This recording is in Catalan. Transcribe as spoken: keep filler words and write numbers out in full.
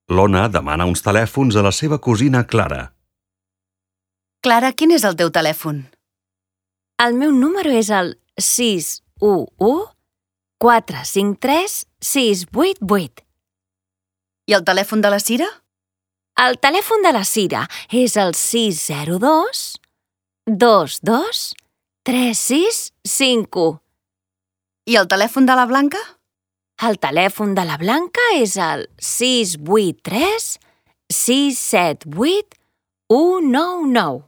L'Ona demana uns telèfons a la seva cosina Clara. Clara, quin és el teu telèfon? El meu número és el sis u u quatre cinc tres sis vuit vuit. I el telèfon de la Cira? El telèfon de la Cira és el sis zero dos dos dos tres sis cinc u. I el telèfon de la Blanca? El telèfon de la Blanca és el sis vuit tres sis set vuit u nou nou.